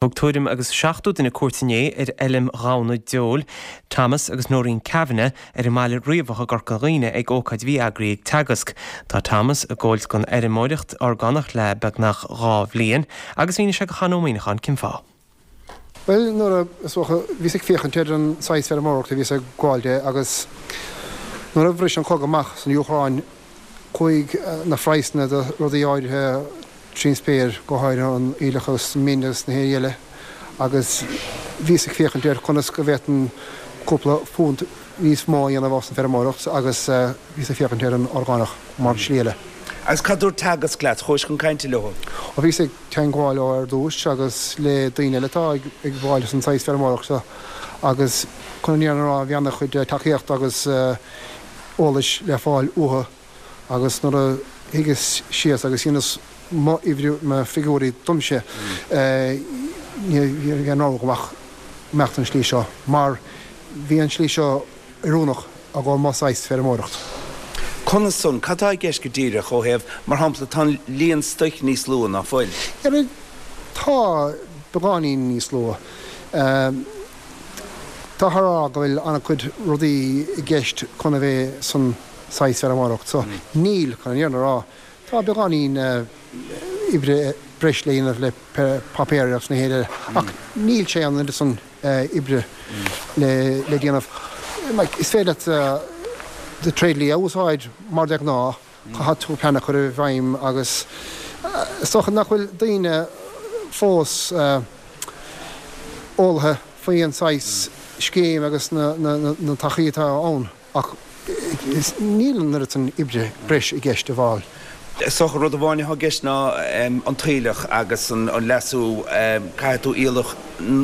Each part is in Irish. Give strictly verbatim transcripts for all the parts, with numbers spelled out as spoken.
Thug tuairim agus seachtó duine cuairt inné ar fheilm ghamhna deoil Thomas agus Noreen Kavanagh ar an mBaile Riabhach i gCorca Dhuibhne ag ócáid a bhí eagraithe ag Teagasc. Tá Thomas ag gabháil don fheirmeoireacht orgánach le beagnach dhá bhliain agus mhínigh sé do Chon Ó Muíneacháin cén fáth. Bhuel, nuair a, is dócha, bhíos ag féachaint ar an saghas feirmeoireachta a bhíos ag gabháil de agus nuair a bhris an cogadh amach san Úcráin chuaigh na praghsanna do rudaí áirithe trín spéir, go háirithe an aoileach agus an min agus na héirí eile, agus bhíos ag féachaint ar conas go bhféadfainn cúpla punt níos mó a dhéanamh as an bhfeirmeoireacht agus bhíos ag féachaint ar an orgánach mar slí eile. Agus cad dúirt Teagasc leat? Chuais chun cainte leo? Ó bhíos ag teagmháil leo ar dtús agus le daoine eile atá ag gabháil san saghas feirmeoireacht seo agus chun an fhírinne a rá bhí ana-chuid tacaíocht agus eolais le fáil uathu agus nuair a shuíos síos agus dheineas mo uimhriú, mo figiúirí domsa, ní bhí aon rogha agam ach imeacht an slí seo mar bhí an slí seo oiriúnach i gcomhair mo saghas feirmeoireacht. Conas san? Cad tá i gceist go díreach ó thaobh, mar shampla, tá an líon stoic níos lú, ná fuil? Tá, beagáinín níos lú. Táthar a rá go bhfuil an-chuid rudaí i gceist chun a bheith san saghas feirmeoireacht so. Níl, chun an fhírinne a rá. Tá beagáinín oibre breis le dhéanamh le páipéir agus na héire ach níl sé an oiread san oibre le déanamh. Like, is féidir leat do tréidlia a úsáid mar de ghnáth, caithfidh tú plean a chur i bhfeidhm agus is dócha nach bhfuil daoine fós eolaithe faoi an saghas scéim agus na, na, na, na tacaí atá ann. Ach níl an oiread san oibre breis i gceist a bhfáil. Is dócha rud amháin atá i gceist ná an t-aoileach agus an leasú, caithfidh tú aoileach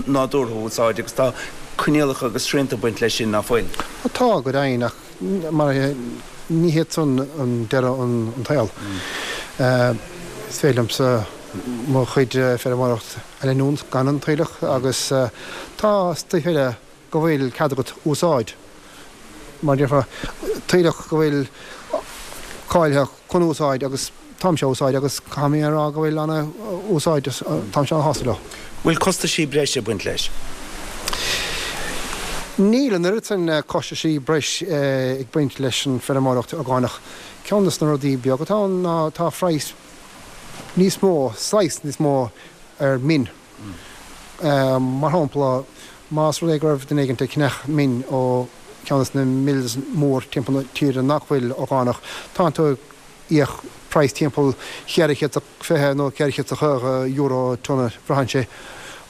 nádúrtha a úsáid agus tá coinníollacha agus srianta ag baint leis sin, ná fuil? Tá, go deimhin, ach mar ní hiad san an deireadh an tsaol. Is féidir liomsa mo chuid feirmeoireacht a leanúint gan an t-aoileach agus tá stuif eile go bhfuil cead agat úsáid, mar déarfá, t-aoileach go bhfuil cáilithe chun úsáid agus táimse á úsáid agus caithfidh mé a rá go bhfuil ana úsáid, táimse ana shásta leo. Bhfuil costaisí breise ag baint leis? Níl an oiread sin costaisí breis ag baint leis an feirmeoireacht orgánach. Ceann de na rudaí beag atá ann ná tá praghas níos mó, saghas níos mó ar min. Mar shampla, más rud é go raibh duine éigin ag ceannach min ó cheann de na mills mór timpeall na tíre nach bhfuil orgánach, tánn tú ag íoc praghas timpeall cheithre chéad is fiche nó ceithre chéad is caoga euro tonna, braitheann sé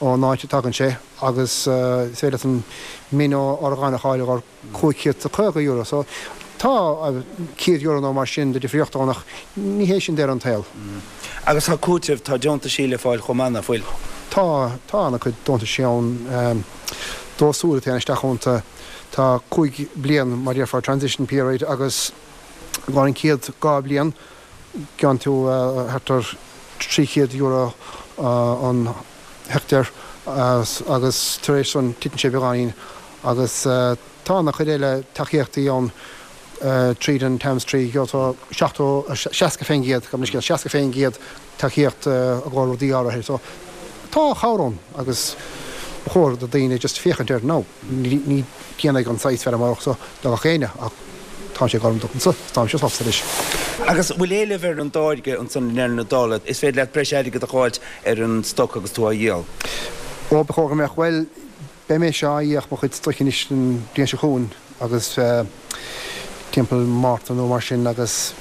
ón áit a dtagann sé, agus is féidir leat an min ó orgánach a fháil ar cúig chéad is caoga euro. So tá céad euro nó mar sin de difríocht ann ach ní hé sin deireadh an tsaoil. Agus tá cúiteamh, tá deontaisí le fáil chomh maith, nach bhfuil? Tá, tá ana-chuid deontaisí ann. Dó súil a théann isteach iontu. Tá cúig bliain, mar déarfá, transition period agus i gcomhair an chéad dhá bliain gearrann tú thart ar trí chéad euro an heicteár agus tar éis san titeann sé beagáinín agus tá ana-chuid eile tacaíochtaí ann tríd an TAMS trí, gheobhaidh tú seachtó, seasca fén gcéad, gabh mo leithscéal, seasca fén gcéad tacaíocht i gcomhair rudaí áirithe. So tá cabhair ann agus ba chóir do daoine just féachaint air now. Ní dhéanfaidh an saghas feirmeoireacht seo do gach éinne ach tá sé ag obair domsa, táimse sásta leis. Agus bhfuil éileamh ar an dtáirge ansan i ndeireadh na dála? Is féidir leat breis airgid a dh'fháilt ar an stoc agus tú á dhíol? Ó, ba chóir go mbeadh. Bhuel, beidh mise á íoc mo chuid stoic anois an bhliain seo chugainn agus timpeall Márta nó mar sin agus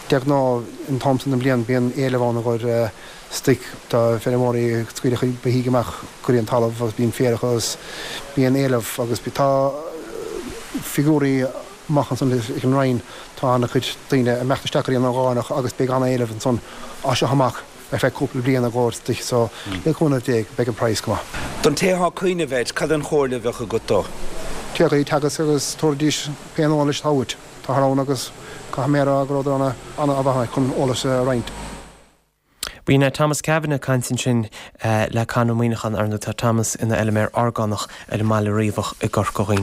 de ghnáth an t-am san den bhliain bíonn éileamh ann i gcomhair stoic. Tá feirmeoirí ag scaoileadh a gcuid beithígh amach go dtí an talamh agus bíonn féar acu agus bíonn éileamh agus tá figiúirí amach ansan ag an Roinn, tá ana-chuid daoine ag imeacht isteach go dtí an orgánach agus beidh ana-éileamh ansan as seo amach ar feadh cúpla bliain i gcomhair stoic so le cúnamh Dé beidh an praghas go maith. Don té atá ag cuimhneamh air, cad an chomhairle a bheadh agat dó? Téigh go dtí Teagasc agus tabharfaidís pé eolas atá uait. Táthar ann agus caithfidh mé a rá go rabhadar ana-mhaith chun eolas a roinnt. B'in é Thomas Kavanagh ag caint ansin le Conn Ó Muíneacháin. Ar ndóigh tá Thomas ina fheilméar orgánach ar an mBaile Riabhach i gCorca Dhuibhne.